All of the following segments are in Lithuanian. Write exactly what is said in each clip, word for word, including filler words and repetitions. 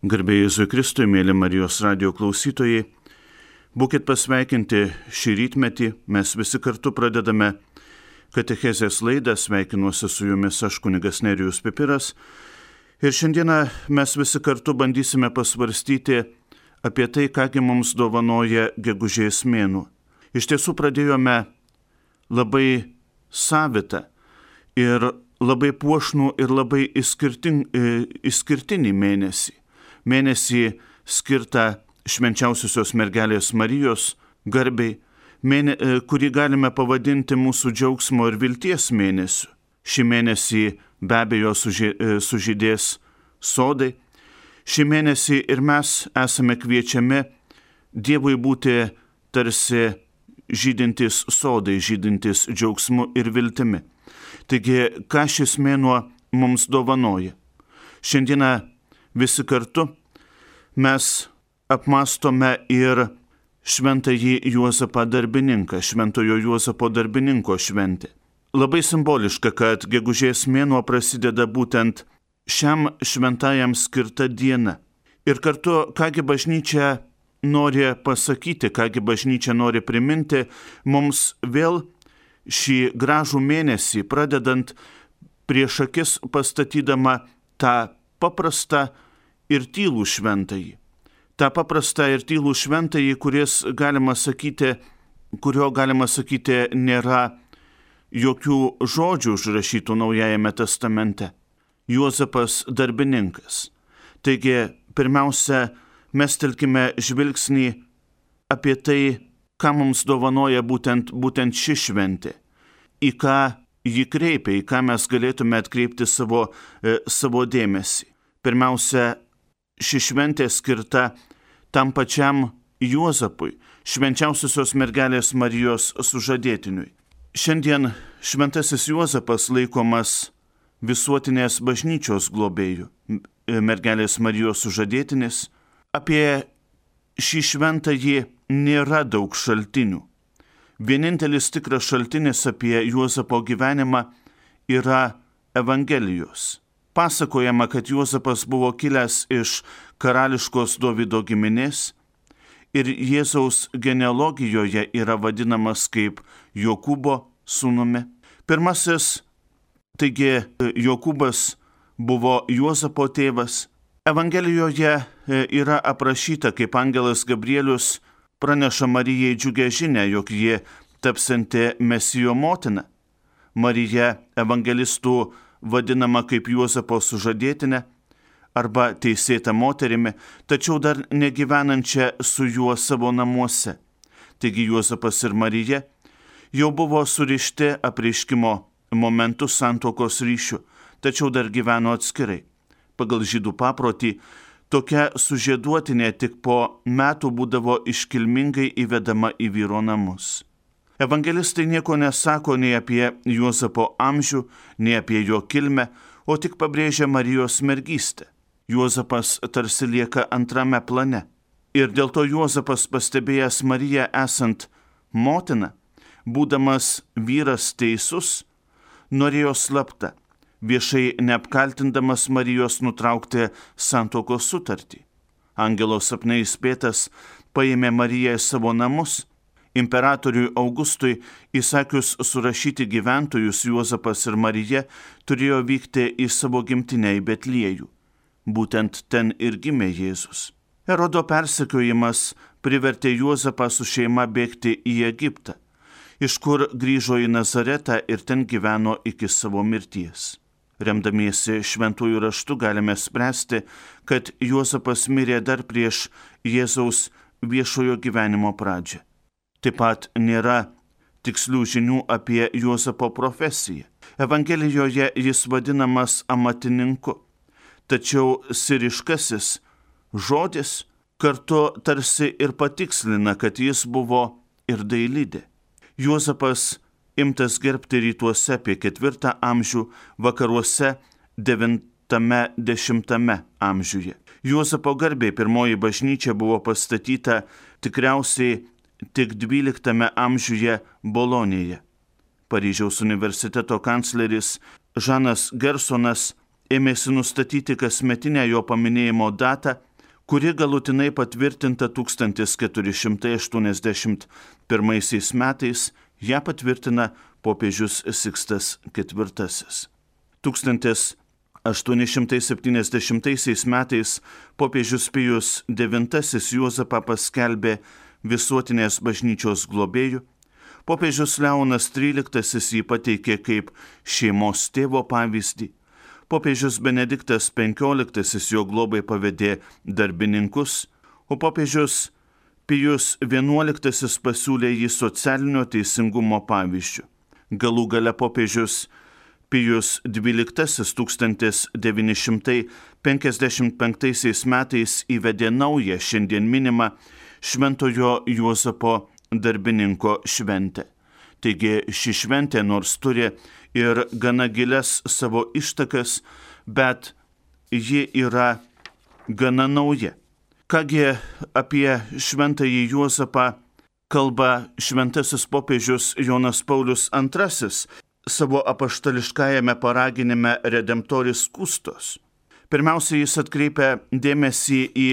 Garbė Jėzui Kristui, mėly Marijos radijo klausytojai, būkit pasveikinti šį rytmetį, mes visi kartu pradedame katechezės laidą, sveikinuosi su jumis aš kunigas Nerijus Pipiras ir šiandieną mes visi kartu bandysime pasvarstyti apie tai, kągi mums dovanoja gegužės mėnuo. Iš tiesų pradėjome labai savitą ir labai puošnų ir labai išskirtinį mėnesį. Mėnesį skirtą švenčiausiosios mergelės Marijos garbei, mėne, kurį galime pavadinti mūsų džiaugsmo ir vilties mėnesiu. Šį mėnesį be abejo sužydės sodai. Šį mėnesį ir mes esame kviečiami Dievui būti tarsi žydintis sodai, žydintis džiaugsmu ir viltimi. Taigi, ką šis mėnuo mums dovanoja? Šiandieną visi kartu mes apmastome ir šventąjį Juozapą darbininką, šventojo Juozapo darbininko šventė. Labai simboliška, kad gegužės mėnuo prasideda būtent šiam šventajam skirta diena. Ir kartu, kągi bažnyčia nori pasakyti, kągi bažnyčia nori priminti mums vėl šį gražų mėnesį, pradedant prieš akis pastatydama tą paprastą ir tylų šventąjį. Ta paprastą ir tylų šventąjį, kuris, galima sakyti, kurio, galima sakyti, nėra jokių žodžių užrašytų Naujajame testamente. Juozapas darbininkas. Taigi, pirmiausia, mestelkime žvilgsnį apie tai, ką mums dovanoja būtent, būtent ši šventė. Į ką ji kreipia, į ką mes galėtume atkreipti savo, e, savo dėmesį. Pirmiausia, ši šventė skirta tam pačiam Juozapui, švenčiausiosios mergelės Marijos sužadėtiniui. Šiandien šventasis Juozapas laikomas visuotinės bažnyčios globėjų, mergelės Marijos sužadėtinis. Apie šį šventąjį nėra daug šaltinių. Vienintelis tikras šaltinis apie Juozapo gyvenimą yra Evangelijos. Pasakojama, kad Juozapas buvo kilęs iš karališkos Dovydo giminės ir Jėzaus genealogijoje yra vadinamas kaip Jokūbo sūnumi. Pirmasis, taigi Jokūbas buvo Juozapo tėvas. Evangelijoje yra aprašyta, kaip angelas Gabrielius praneša Marijai džiugią žinią, jog ji tapsianti Mesijo motina. Marija evangelistų vadinama kaip Juozapo sužadėtinė arba teisėta moterimi, tačiau dar negyvenančia su juo savo namuose. Taigi Juozapas ir Marija jau buvo surišti apreiškimo momentu santuokos ryšių, tačiau dar gyveno atskirai. Pagal žydų paprotį, tokia sužieduotinė tik po metų būdavo iškilmingai įvedama į vyro namus. Evangelistai nieko nesako nei apie Juozapo amžių, nei apie jo kilmę, o tik pabrėžia Marijos mergystę. Juozapas tarsi lieka antrame plane. Ir dėl to Juozapas, pastebėjęs Mariją esant motina, būdamas vyras teisus, norėjo slapta, viešai neapkaltindamas Marijos nutraukti santuokos sutartį. Angelo sapne įspėtas paėmė Mariją į savo namus. Imperatoriui Augustui įsakius surašyti gyventojus, Juozapas ir Marija turėjo vykti į savo gimtinę į Betliejų. Būtent ten ir gimė Jėzus. Erodo persekiojimas privertė Juozapą su šeima bėgti į Egiptą, iš kur grįžo į Nazaretą ir ten gyveno iki savo mirties. Remdamiesi šventųjų raštu galime spręsti, kad Juozapas mirė dar prieš Jėzaus viešojo gyvenimo pradžią. Taip pat nėra tikslių žinių apie Juozapo profesiją. Evangelijoje jis vadinamas amatininku, tačiau siriškasis žodis kartu tarsi ir patikslina, kad jis buvo ir dailidė. Juozapas imtas gerbti rytuose apie ketvirtą amžių, vakaruose devintame dešimtame amžiuje. Juozapo garbei pirmoji bažnyčia buvo pastatyta tikriausiai tik dvyliktame amžiuje Bolonėje. Paryžiaus universiteto kancleris Žanas Gersonas ėmėsi nustatyti kasmetinę jo paminėjimo datą kuri galutinai patvirtinta tūkstantis keturi šimtai aštuoniasdešimt pirmaisiais metais, ją patvirtina popiežius Sikstas ketvirtasis. tūkstantis aštuoni šimtai septyniasdešimtaisiais metais popiežius Pijus devintasis Juozapą paskelbė visuotinės bažnyčios globėju. Popiežius Leonas tryliktasis jį pateikė kaip šeimos tėvo pavyzdį. Popiežius Benediktas penkioliktasis jo globai pavedė darbininkus, o popiežius Pijus vienuoliktasis pasiūlė jį socialinio teisingumo pavyzdžiu. Galų gale popiežius Pijus dvyliktasis tūkstantis devyni šimtai penkiasdešimt penktaisiais metais įvedė naują šiandien minimą Šventojo Juozapo darbininko šventę. Taigi ši šventė nors turi ir gana gilias savo ištakas, bet ji yra gana nauja. Kągi apie Šventąjį Juozapą kalba šventasis popiežius Jonas Paulius antrasis savo apaštališkajame paraginime Redemptoris Custos. Pirmiausia, jis atkreipia dėmesį į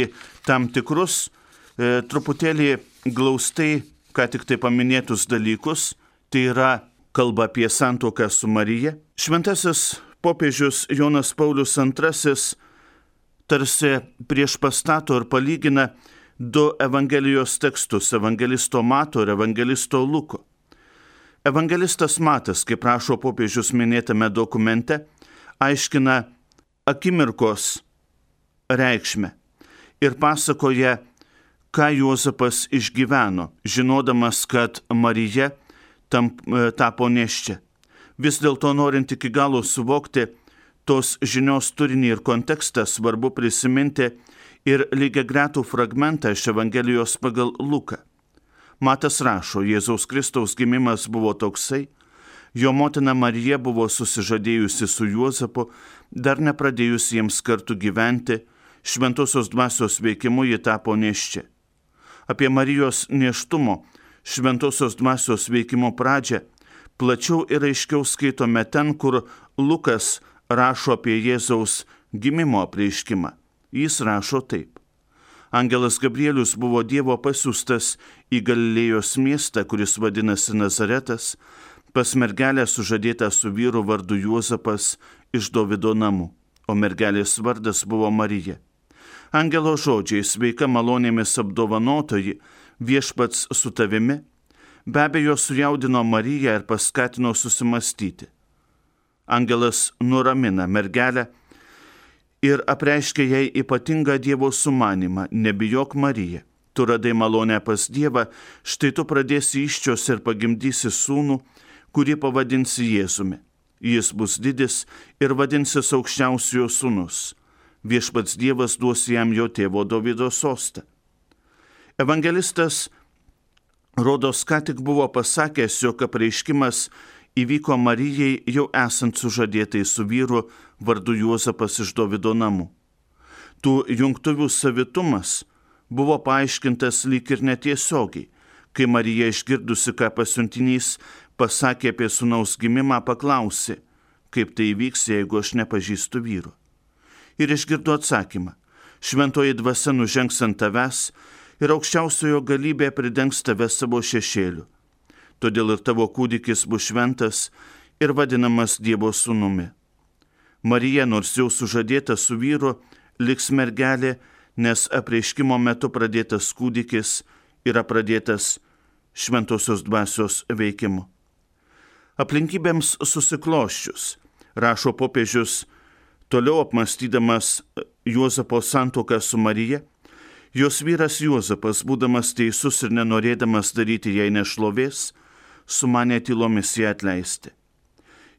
tam tikrus e, truputėlį glaustai, ką tik tai paminėtus dalykus, tai yra kalba apie santuoką su Marija. Šventasis popiežius Jonas Paulius antrasis tarsi priešpastato ir palygina du Evangelijos tekstus, evangelisto Mato ir evangelisto Luko. Evangelistas Matas, kaip rašo popiežius minėtame dokumente, aiškina akimirkos reikšmę ir pasakoja, ką Juozapas išgyveno, žinodamas, kad Marija tam, tapo nėščia. Vis dėlto norint iki galo suvokti tos žinios turinį ir kontekstą, svarbu prisiminti ir lygiagretų fragmentą iš Evangelijos pagal Luką. Matas rašo, Jėzaus Kristaus gimimas buvo toksai, jo motina Marija buvo susižadėjusi su Juozapu, dar nepradėjus jiems kartu gyventi, šventosios dvasios veikimu ji tapo nėščia. Apie Marijos nėštumo, šventosios dvasios veikimo pradžią plačiau ir aiškiau skaitome ten, kur Lukas rašo apie Jėzaus gimimo apreiškimą. Jis rašo taip. Angelas Gabrielius buvo Dievo pasiųstas į Galilėjos miestą, kuris vadinasi Nazaretas, pas mergelę sužadėtą su vyru vardu Juozapas iš Dovido namų, o mergelės vardas buvo Marija. Angelo žodžiai, sveika malonėmis apdovanotoji, viešpats su tavimi, be abejo sujaudino Mariją ir paskatino susimastyti. Angelas nuramina mergelę ir apreiškia jai ypatingą Dievo sumanimą, nebijok Marija, tu radai malonę pas Dievą, štai tu pradėsi įsčios ir pagimdysi sūnų, kurį pavadinsi Jėzumi. Jis bus didis ir vadinsis aukščiausiojo sūnus. Viešpats Dievas duos jam jo tėvo Dovydo sostą. Evangelistas rodos ką tik buvo pasakęs, jog apreiškimas įvyko Marijai jau esant sužadėtai su vyru vardu Juozapas iš Dovido namų. Tų jungtuvių savitumas buvo paaiškintas lyg ir netiesiogiai, kai Marija išgirdusi, ką pasiuntinys pasakė apie sūnaus gimimą, paklausė, kaip tai įvyks, jeigu aš nepažįstu vyro. Ir išgirdo atsakymą, šventoji dvasia nužengs ant tavęs ir aukščiausiojo galybė pridengs tave savo šešėliu. Todėl ir tavo kūdikis bus šventas ir vadinamas Dievo sūnumi. Marija, nors jau sužadėta su vyru, liks mergelė, nes apreiškimo metu pradėtas kūdikis yra pradėtas šventosios dvasios veikimu. Aplinkybėms susikloščius, rašo popiežius, toliau apmąstydamas Juozapo santuoką su Marija, jos vyras Juozapas, būdamas teisus ir nenorėdamas daryti jai nešlovės, sumanė tylomis ją atleisti.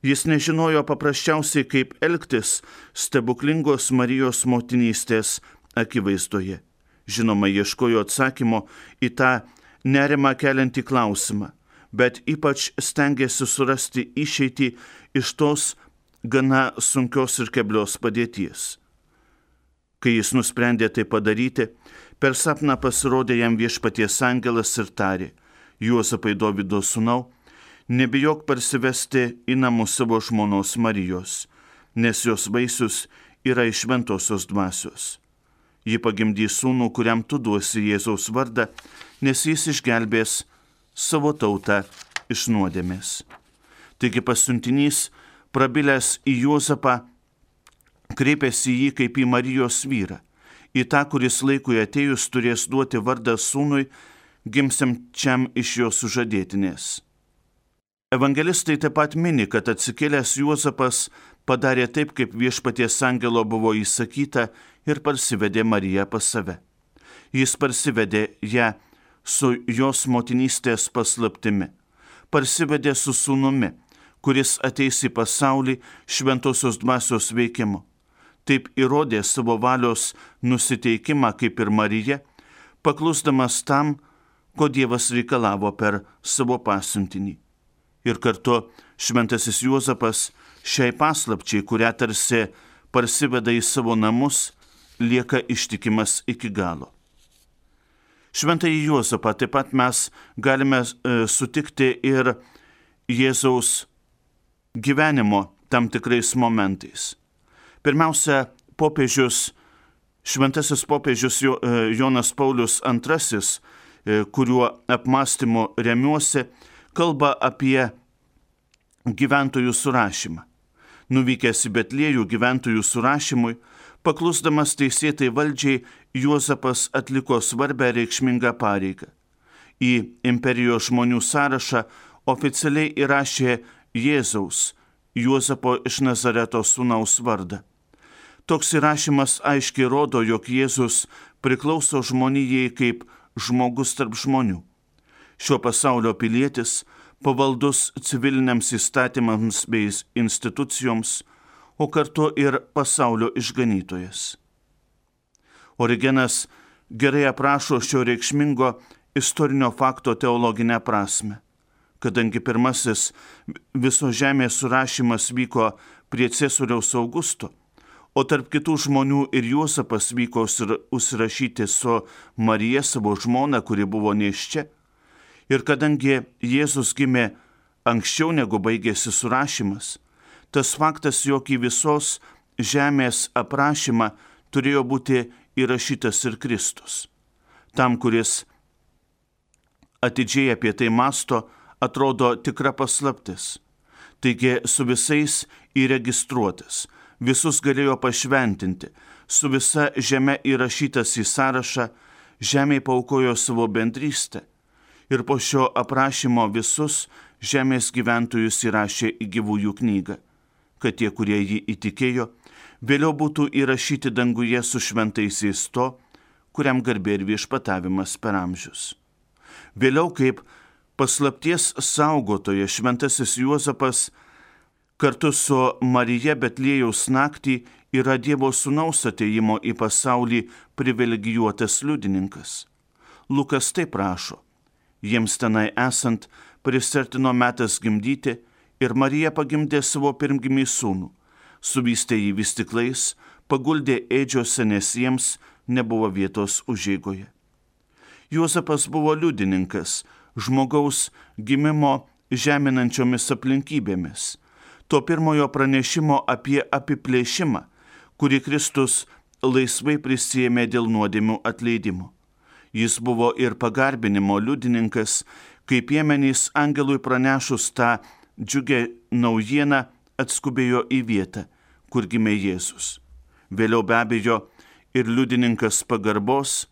Jis nežinojo paprasčiausiai, kaip elgtis stebuklingos Marijos motinystės akivaizdoje. Žinoma, ieškojo atsakymo į tą nerimą keliantį klausimą, bet ypač stengėsi surasti išeitį iš tos gana sunkios ir keblios padėties. Kai jis nusprendė tai padaryti, per sapną pasirodė jam viešpaties angelas ir tarė, Juozapai Dovydo sūnau, nebijok parsivesti į namus savo žmonos Marijos, nes jos vaisius yra iš šventosios dvasios. Ji pagimdys sūnų, kuriam tu duosi Jėzaus vardą, nes jis išgelbės savo tautą iš nuodėmės. Taigi pasiuntinys, prabilęs į Juozapą, kreipėsi į jį kaip į Marijos vyrą, į tą, kuris laikui atėjus turės duoti vardą sūnui, gimsiančiam iš jo sužadėtinės. Evangelistai taip pat mini, kad atsikėlęs Juozapas padarė taip, kaip viešpaties angelo buvo įsakyta ir parsivedė Mariją pas save. Jis parsivedė ją su jos motinystės paslaptimi, parsivedė su sūnumi, kuris ateis į pasaulį šventosios dvasios veikimu. Taip įrodė savo valios nusiteikimą kaip ir Marija, paklusdamas tam, ko Dievas reikalavo per savo pasiuntinį. Ir kartu šventasis Juozapas šiai paslapčiai, kurią tarsi parsiveda į savo namus, lieka ištikimas iki galo. Šventąjį Juozapą taip pat mes galime e, sutikti ir Jėzaus gyvenimo tam tikrais momentais. Pirmiausia, popiežius, šventasis popiežius Jonas Paulius antrasis, kuriuo apmąstymu remiuosi, kalba apie gyventojų surašymą. Nuvykęs į Betliejų gyventojų surašymui, paklusdamas teisėtai valdžiai, Juozapas atliko svarbę reikšmingą pareigą. Į imperijos žmonių sąrašą oficialiai įrašė Jėzaus, Juozapo iš Nazareto sūnaus vardą. Toks įrašymas aiškiai rodo, jog Jėzus priklauso žmonijai kaip žmogus tarp žmonių. Šio pasaulio pilietis, pavaldus civiliniams įstatymams bei institucijoms, o kartu ir pasaulio išganytojas. Origenas gerai aprašo šio reikšmingo istorinio fakto teologinę prasme, kadangi pirmasis viso žemės surašymas vyko prie Ciesoriaus Augusto, o tarp kitų žmonių ir Juozapas vyko užsirašyti su Marija, savo žmona, kuri buvo nėščia. Ir kadangi Jėzus gimė anksčiau negu baigėsi surašymas, tas faktas, jog į visos žemės aprašymą turėjo būti įrašytas ir Kristus. Tam, kuris atidžiai apie tai masto, atrodo tikra paslaptis. Taigi su visais įregistruotas, visus galėjo pašventinti, su visa žeme įrašytas į sąrašą, žemėje paaukojo savo bendrystę ir po šio aprašymo visus žemės gyventojus įrašė į gyvųjų knygą, kad tie, kurie jį įtikėjo, vėliau būtų įrašyti danguje su šventaisiais to, kuriam garbė ir viešpatavimas per amžius. Vėliau kaip paslapties saugotoja šventasis Juozapas kartu su Marija Betliejaus naktį yra Dievo sūnaus atėjimo į pasaulį privilegijuotas liudininkas. Lukas taip rašo: jiems tenai esant prisartino metas gimdyti ir Marija pagimdė savo pirmgimį sūnų, suvystė jį vystyklais, paguldė ėdžiose, nes jiems nebuvo vietos užeigoje. Juozapas buvo liudininkas žmogaus gimimo žeminančiomis aplinkybėmis, to pirmojo pranešimo apie apiplėšimą, kurį Kristus laisvai prisiėmė dėl nuodėmių atleidimo. Jis buvo ir pagarbinimo liudininkas, kai piemenys angelui pranešus tą džiugę naujieną atskubėjo į vietą, kur gimė Jėzus. Vėliau be abejo ir liudininkas pagarbos,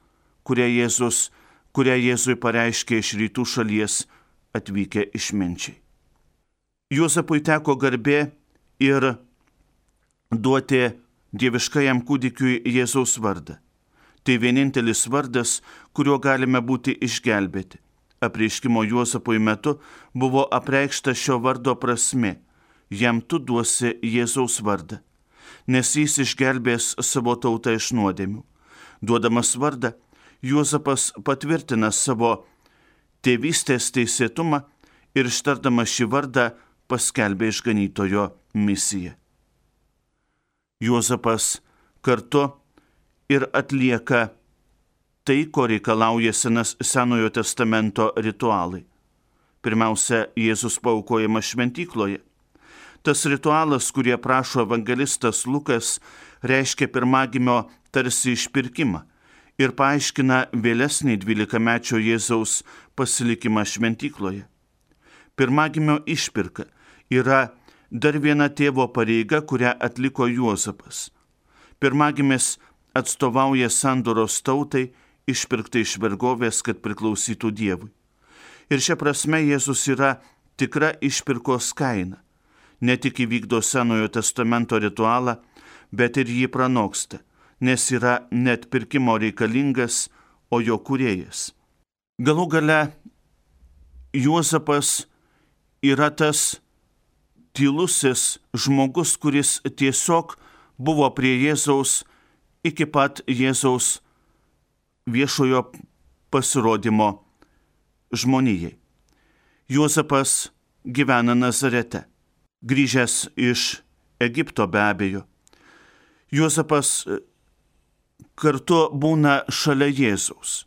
kurią, Jėzus, kurią Jėzui pareiškė iš rytų šalies atvykę išminčiai. Juozapui teko garbė ir duoti dieviškajam kūdikiui Jėzaus vardą. Tai vienintelis vardas, kuriuo galime būti išgelbėti. Apreiškimo Juozapui metu buvo apreikšta šio vardo prasmė: jam tu duosi Jėzaus vardą, nes jis išgelbės savo tautą iš nuodėmių. Duodamas vardą, Juozapas patvirtina savo tėvystės teisėtumą ir ištardamas šį vardą paskelbė išganytojo misiją. Juozapas kartu ir atlieka tai, ko reikalauja senas, Senojo testamento ritualai. Pirmiausia, Jėzus paaukojamas šventykloje. Tas ritualas, kurį aprašo evangelistas Lukas, reiškia pirmagimio tarsi išpirkimą ir paaiškina vėlesnį dvylikamečio Jėzaus pasilikimą šventykloje. Pirmagimio išpirka yra dar viena tėvo pareiga, kurią atliko Juozapas. Pirmagimis atstovauja sandoros tautai, išpirktai iš vergovės, kad priklausytų Dievui. Ir šia prasme Jėzus yra tikra išpirkos kaina. Ne tik įvykdo Senojo testamento ritualą, bet ir jį pranoksta, nes yra net pirkimo reikalingas, o jo kūrėjas. Galų gale Juozapas yra tas tylusis žmogus, kuris tiesiog buvo prie Jėzaus iki pat Jėzaus viešojo pasirodymo žmonijai. Juozapas gyvena Nazarete, grįžęs iš Egipto be abejo. Juozapas kartu būna šalia Jėzaus.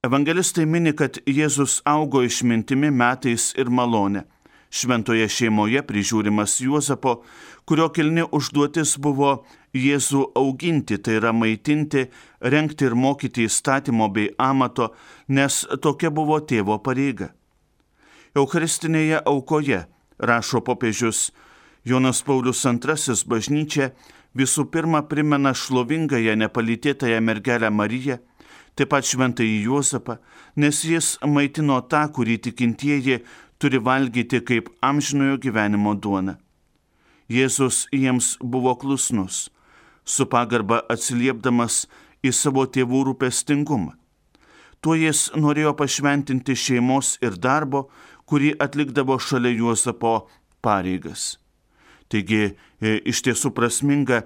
Evangelistai mini, kad Jėzus augo išmintimi, metais ir malone. Šventoje šeimoje prižiūrimas Juozapo, kurio kilni užduotis buvo Jėzų auginti, tai yra maitinti, rengti ir mokyti įstatymo bei amato, nes tokia buvo tėvo pareiga. Eucharistinėje aukoje, rašo popiežius Jonas Paulius antrasis, bažnyčia visų pirma primena šlovingąją nepalytėtąją mergelę Mariją, taip pat šventąjį Juozapą, nes jis maitino tą, kurį tikintieji turi valgyti kaip amžinojo gyvenimo duona. Jėzus jiems buvo klusnus, su pagarba atsiliepdamas į savo tėvų rūpestingumą. Tuo jis norėjo pašventinti šeimos ir darbo, kurį atlikdavo šalia Juozapo pareigas. Taigi, iš tiesų prasminga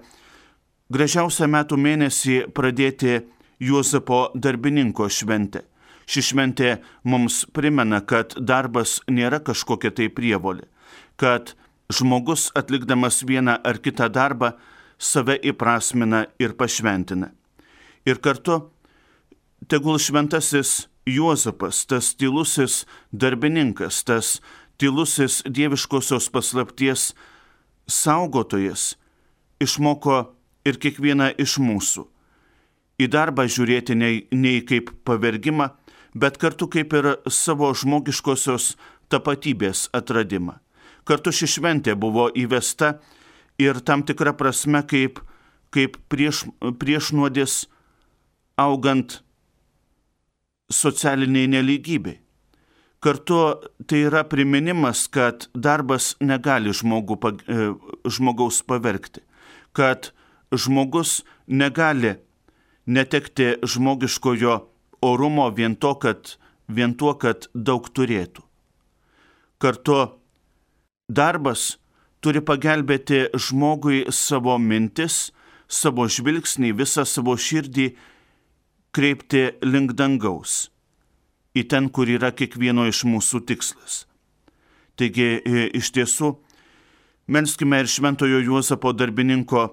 gražiausią metų mėnesį pradėti Juozapo darbininko šventę. Ši šventė mums primena, kad darbas nėra kažkokia tai prievolė, kad žmogus atlikdamas vieną ar kitą darbą save įprasmina ir pašventina. Ir kartu tegul šventasis Juozapas, tas tylusis darbininkas, tas tylusis dieviškosios paslapties saugotojas, išmoko ir kiekvieną iš mūsų į darbą žiūrėti nei, nei kaip pavergimą, bet kartu kaip ir savo žmogiškosios tapatybės atradimą. Kartu ši šventė buvo įvesta ir tam tikra prasme kaip, kaip prieš, priešnuodis augant socialiniai nelygybei. Kartu tai yra priminimas, kad darbas negali žmogų, žmogaus pavergti, kad žmogus negali netekti žmogiškojo orumo vien, to, kad, vien tuo, kad daug turėtų. Kartu darbas turi pagelbėti žmogui savo mintis, savo žvilgsnį, visą savo širdį kreipti link dangaus, į ten, kur yra kiekvieno iš mūsų tikslas. Taigi, iš tiesų, melskime ir šventojo Juozapo darbininko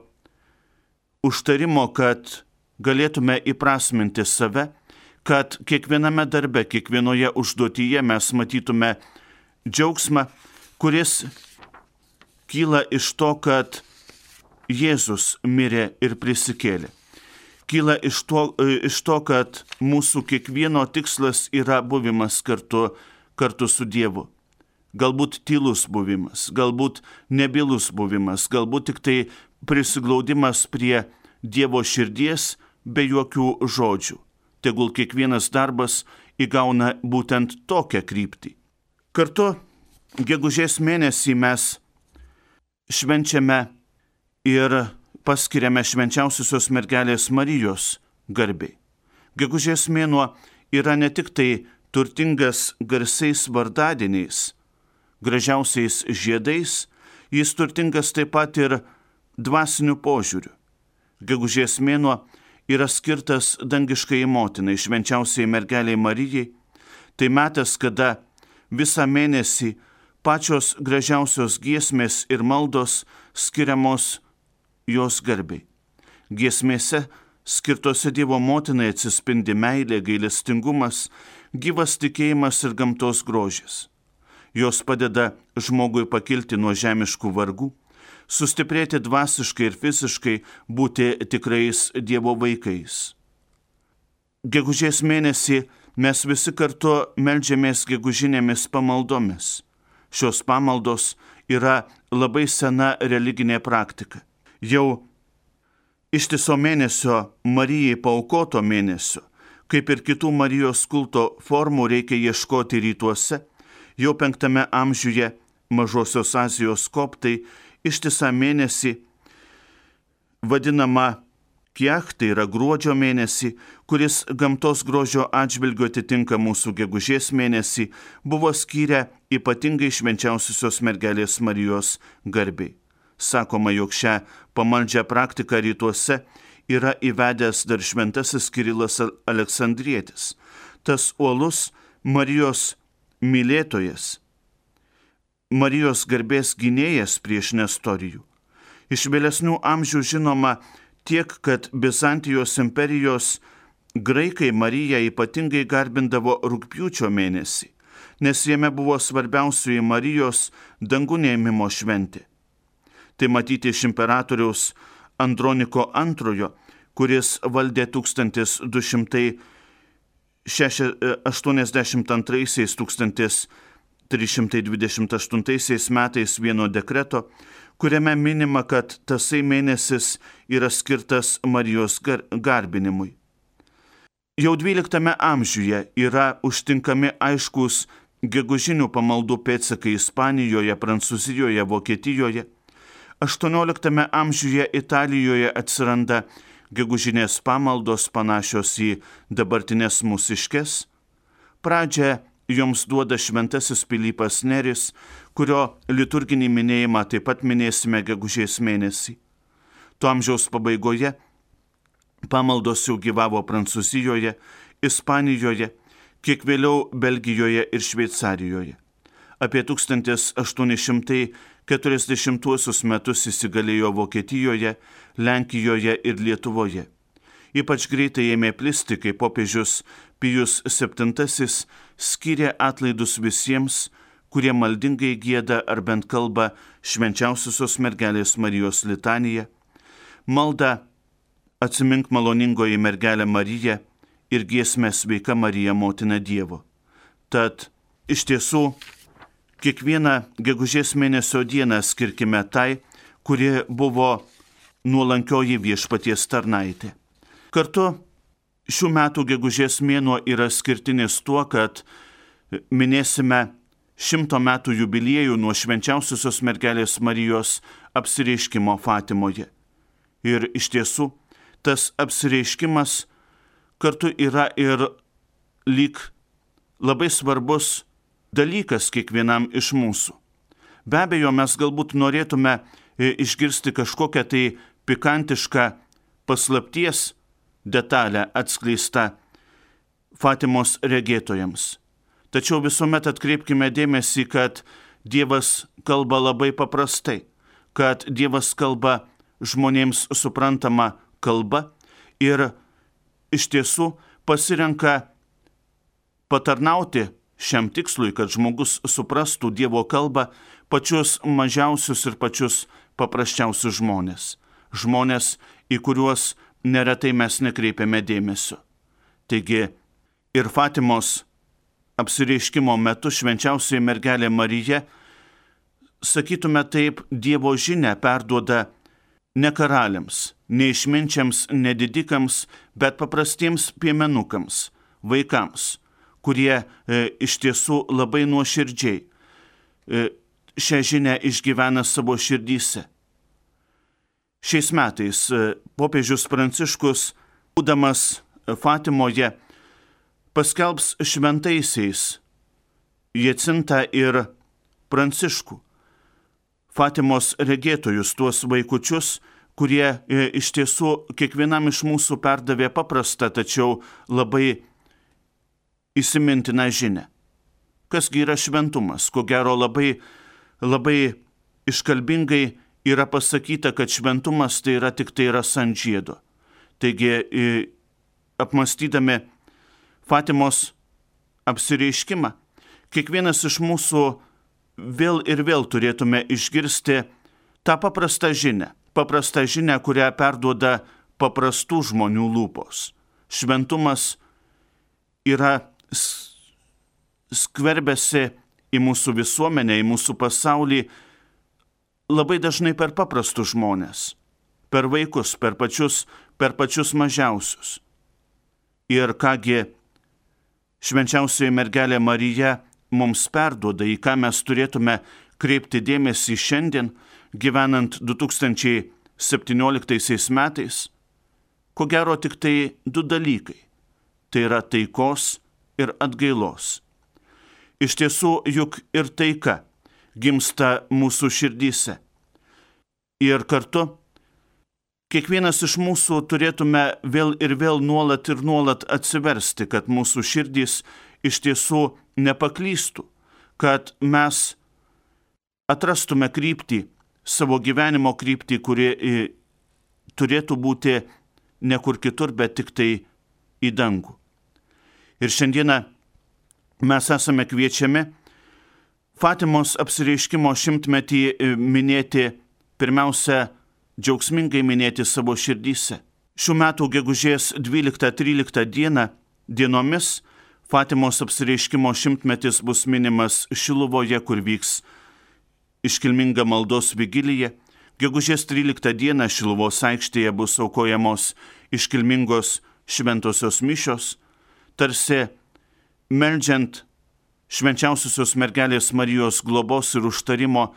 užtarimo, kad galėtume įprasminti save, kad kiekviename darbe, kiekvienoje užduotyje mes matytume džiaugsmą, kuris kyla iš to, kad Jėzus mirė ir prisikėlė. Kyla iš to, iš to, kad mūsų kiekvieno tikslas yra buvimas kartu, kartu su Dievu. Galbūt tylus buvimas, galbūt nebylus buvimas, galbūt tik tai prisiglaudimas prie Dievo širdies be jokių žodžių. Tegul kiekvienas darbas įgauna būtent tokią kryptį. Kartu gegužės mėnesį mes švenčiame ir paskiriame švenčiausiosios mergelės Marijos garbei. Gegužės mėnuo yra ne tik tai turtingas garsiais vardadieniais, gražiausiais žiedais, jis turtingas taip pat ir dvasiniu požiūriu. Gegužės mėnuo yra skirtas dangiškai motinai, švenčiausiai mergeliai Marijai. Tai metas, kada visą mėnesį pačios gražiausios giesmės ir maldos skiriamos jos garbei. Giesmėse skirtose Dievo motinai atsispindi meilė, gailestingumas, gyvas tikėjimas ir gamtos grožis. Jos padeda žmogui pakilti nuo žemiškų vargų, sustiprėti dvasiškai ir fiziškai, būti tikrais Dievo vaikais. Gegužės mėnesį mes visi kartu meldžiamės gegužinėmis pamaldomis. Šios pamaldos yra labai sena religinė praktika. Jau ištiso mėnesio Marijai paaukoto mėnesio, kaip ir kitų Marijos kulto formų reikia ieškoti rytuose, jau penktame amžiuje Mažosios Azijos koptai ištisą mėnesį vadinama Kiach, tai yra gruodžio mėnesį, kuris gamtos grožio atžvilgiu atitinka mūsų gegužės mėnesį, buvo skyrę ypatingai švenčiausiosios mergelės Marijos garbei. Sakoma, jog šią pamaldžią praktiką rytuose yra įvedęs dar šventasis Kirilas Aleksandrietis, tas uolus Marijos mylėtojas, Marijos garbės gynėjas prieš Nestorijų. Iš vėlesnių amžių žinoma tiek, kad Bizantijos imperijos graikai Mariją ypatingai garbindavo rugpjūčio mėnesį, nes jame buvo svarbiausioji Marijos dangun ėmimo šventė. Tai matyti iš imperatoriaus Androniko antrojo, kuris valdė tūkstantis du šimtai aštuoniasdešimt antraisiais - tūkstantis trys šimtai dvidešimt aštuntaisiais metais vieno dekreto, kuriame minima, kad tasai mėnesis yra skirtas Marijos gar- garbinimui. Jau dvyliktame amžiuje yra užtinkami aiškus gegužinių pamaldų pėdsakai Ispanijoje, Prancūzijoje, Vokietijoje. aštuonioliktame amžiuje Italijoje atsiranda gegužinės pamaldos panašios į dabartinės mūsiškes. Pradžią joms duoda šventasis Pilypas Neris, kurio liturginį minėjimą taip pat minėsime gegužės mėnesį. Tuo amžiaus pabaigoje pamaldos jau gyvavo Prancūzijoje, Ispanijoje, kiek vėliau Belgijoje ir Šveicarijoje. Apie tūkstantis aštuoni šimtai keturiasdešimtuosius metus įsigalėjo Vokietijoje, Lenkijoje ir Lietuvoje. Ypač greitai ėmė plisti, kai popiežius Pijus septintasis skyrė atlaidus visiems, kurie maldingai gieda ar bent kalba švenčiausiosios mergelės Marijos litaniją, malda Atsimink maloningoji mergelė Marija ir giesmę Sveika Marija, motina Dievo. Tad iš tiesų kiekvieną gegužės mėnesio dieną skirkime tai, kuri buvo nuolankioji Viešpaties tarnaitė. Kartu šių metų gegužės mėnuo yra skirtinis tuo, kad minėsime šimto metų jubiliejų nuo švenčiausiosios mergelės Marijos apsireiškimo Fatimoje. Ir iš tiesų tas apsireiškimas kartu yra ir lyg labai svarbus dalykas kiekvienam iš mūsų. Be abejo, mes galbūt norėtume išgirsti kažkokią tai pikantišką paslapties detalę atskleistą Fatimos regėtojams. Tačiau visuomet atkreipkime dėmesį, kad Dievas kalba labai paprastai, kad Dievas kalba žmonėms suprantama kalba ir iš tiesų pasirenka patarnauti šiam tikslui, kad žmogus suprastų Dievo kalbą pačius mažiausius ir pačius paprasčiausius žmonės. Žmonės, į kuriuos neretai mes nekreipiame dėmesio. Taigi ir Fatimos apsireiškimo metu švenčiausioji mergelė Marija, sakytume taip, Dievo žinią perduoda ne karaliams, ne išminčiams, nedidikams, bet paprastiems piemenukams, vaikams, kurie e, iš tiesų labai nuoširdžiai e, šią žinią išgyvena savo širdyse. Šiais metais e, popiežius Pranciškus, būdamas Fatimoje, paskelbs šventaisiais Jacintą ir Pranciškų, Fatimos regėtojus, tuos vaikučius, kurie e, iš tiesų kiekvienam iš mūsų perdavė paprastą, tačiau labai įsimintiną žinią. Kasgi yra šventumas? Ko gero labai, labai iškalbingai yra pasakyta, kad šventumas tai yra tik tai rasa ant žiedo. Taigi, e, apmąstydami Fatimos apsireiškimą, kiekvienas iš mūsų vėl ir vėl turėtume išgirsti tą paprastą žinią, paprastą žinią, kurią perduoda paprastų žmonių lūpos. Šventumas yra skverbiasi į mūsų visuomenę, į mūsų pasaulį labai dažnai per paprastus žmonės, per vaikus, per pačius, per pačius mažiausius. Ir kągi švenčiausioji mergelė Marija mums perduoda, į ką mes turėtume kreipti dėmesį šiandien, gyvenant du tūkstančiai septynioliktaisiais metais, ko gero tik tai du dalykai. Tai yra taikos ir atgailos. Iš tiesų, juk ir taika gimsta mūsų širdyse. Ir kartu kiekvienas iš mūsų turėtume vėl ir vėl nuolat ir nuolat atsiversti, kad mūsų širdys iš tiesų nepaklystų, kad mes atrastume kryptį, savo gyvenimo kryptį, kuri turėtų būti ne kur kitur, bet tik tai į dangų. Ir šiandieną mes esame kviečiami Fatimos apsireiškimo šimtmetį minėti, pirmiausia, džiaugsmingai minėti savo širdyse. Šių metų gegužės dvyliktą tryliktą dieną dienomis Fatimos apsireiškimo šimtmetis bus minimas Šiluvoje, kur vyks iškilminga maldos vigilija. Gegužės tryliktą dieną Šiluvos aikštėje bus aukojamos iškilmingos šventosios mišios, tarsi meldžiant švenčiausiosios mergelės Marijos globos ir užtarimo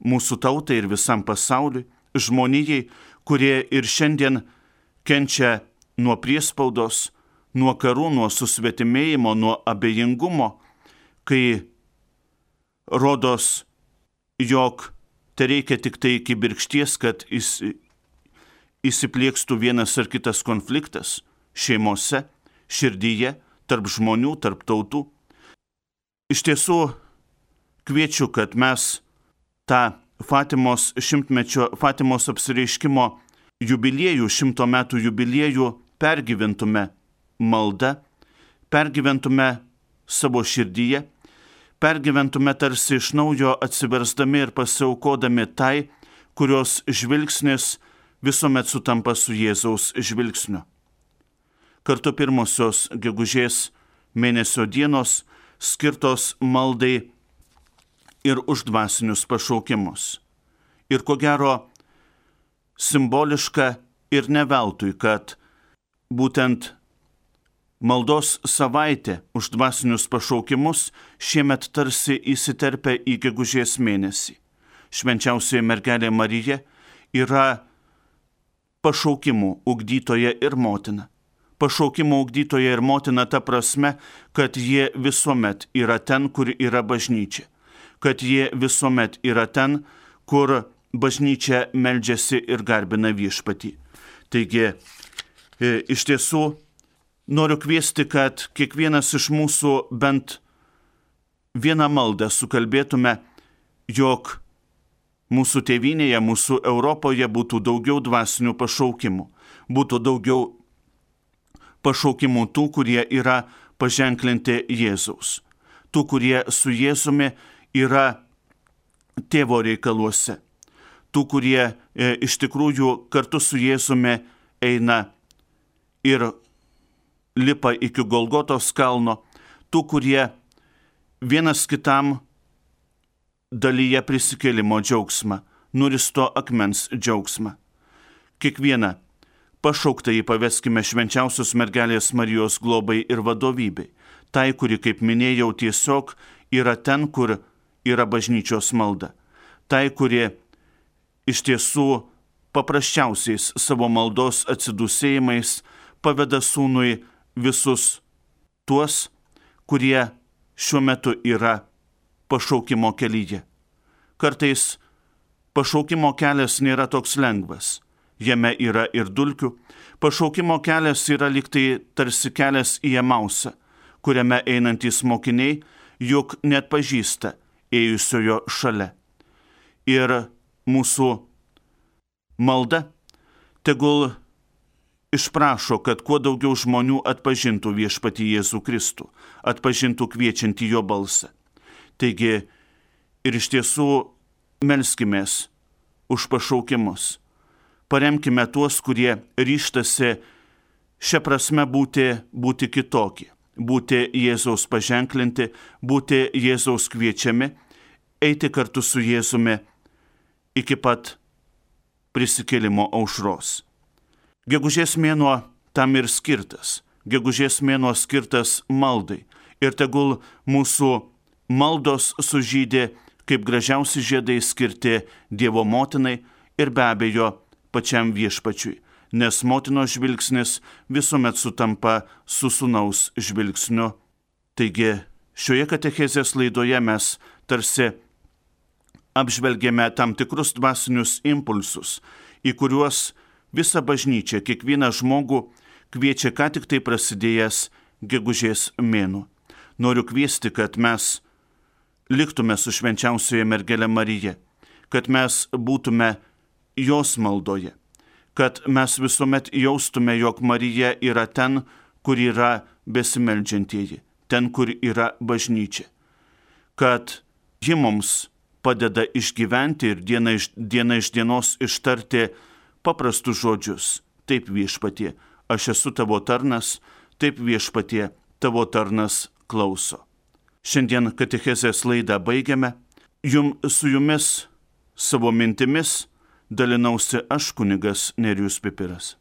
mūsų tautai ir visam pasauliui, žmonijai, kurie ir šiandien kenčia nuo priespaudos, nuo karų, nuo susvetimėjimo, nuo abejingumo, kai rodos, jog tai reikia tik tai kibirkšties, kad įsipliekstų vienas ar kitas konfliktas šeimose, širdyje, tarp žmonių, tarp tautų. Iš tiesų, kviečiu, kad mes tą Fatimos šimtmečio, Fatimos apsireiškimo jubiliejų, šimto metų jubiliejų pergyventume maldą, pergyventume savo širdyje, pergyventume tarsi iš naujo atsiversdami ir pasiaukodami tai, kurios žvilgsnis visuomet sutampa su Jėzaus žvilgsniu. Kartu pirmosios gegužės mėnesio dienos skirtos maldai ir už dvasinius pašaukimus. Ir ko gero simboliška ir ne veltui, kad būtent maldos savaitė už dvasinius pašaukimus šiemet tarsi įsiterpia į gegužės mėnesį. Švenčiausioji mergelė Marija yra pašaukimų ugdytoja ir motina. Pašaukimo ugdytoja ir motina ta prasme, kad jie visuomet yra ten, kur yra bažnyčia. Kad jie visuomet yra ten, kur bažnyčia meldžiasi ir garbina viešpatį. Taigi, e, iš tiesų, noriu kviesti, kad kiekvienas iš mūsų bent vieną maldą sukalbėtume, jog mūsų tėvynėje, mūsų Europoje būtų daugiau dvasinių pašaukimų. Būtų daugiau pašaukimų tų, kurie yra paženklinti Jėzaus. Tų, kurie su Jėzumi yra tėvo reikaluose. Tų, kurie e, iš tikrųjų kartu su Jėzumi eina ir lipa iki Golgotos kalno. Tų, kurie vienas kitam dalyje prisikėlimo džiaugsmą, nuristo akmens džiaugsmą. Kiekvieną pašauktąjį paveskime švenčiausios mergelės Marijos globai ir vadovybei. Tai, kuri, kaip minėjau, tiesiog yra ten, kur yra bažnyčios malda. Tai, kuri iš tiesų paprasčiausiais savo maldos atsidūsėjimais paveda sūnui visus tuos, kurie šiuo metu yra pašaukimo kelyje. Kartais pašaukimo kelias nėra toks lengvas. Jame yra ir dulkių. Pašaukimo kelias yra lyg tai tarsi kelias į Emausą, kuriame einantys mokiniai juk net pažįsta ėjusiojo šalia. Ir mūsų malda tegul išprašo, kad kuo daugiau žmonių atpažintų viešpatį Jėzų Kristų, atpažintų kviečiantį jo balsą. Taigi ir iš tiesų melskimės už pašaukimus. Paremkime tuos, kurie ryštasi šią prasme būti, būti kitokie, būti Jėzaus paženklinti, būti Jėzaus kviečiami, eiti kartu su Jėzumi iki pat prisikėlimo aušros. Gegužės mėnuo tam ir skirtas. Gegužės mėnuo skirtas maldai. Ir tegul mūsų maldos sužydė kaip gražiausi žiedai skirti Dievo motinai ir be abejo pačiam viešpačiui, nes motinos žvilgsnis visuomet sutampa su sūnaus žvilgsniu. Taigi šioje katechezės laidoje mes tarsi apžvelgėme tam tikrus dvasinius impulsus, į kuriuos visa bažnyčia, kiekvieną žmogų kviečia ką tik tai prasidėjęs gegužės mėnuo. Noriu kviesti, kad mes liktume su švenčiausioje mergele Marija, kad mes būtume jos maldoje, kad mes visuomet jaustume, jog Marija yra ten, kur yra besimeldžiantieji, ten, kur yra bažnyčia, kad ji mums padeda išgyventi ir diena iš, diena iš dienos ištarti paprastus žodžius. Taip viešpatie, aš esu tavo tarnas, taip viešpatie, tavo tarnas klauso. Šiandien katechezės laidą baigiame. Jum, su jumis savo mintimis dalinausi aš, kunigas Nerijus Pipiras.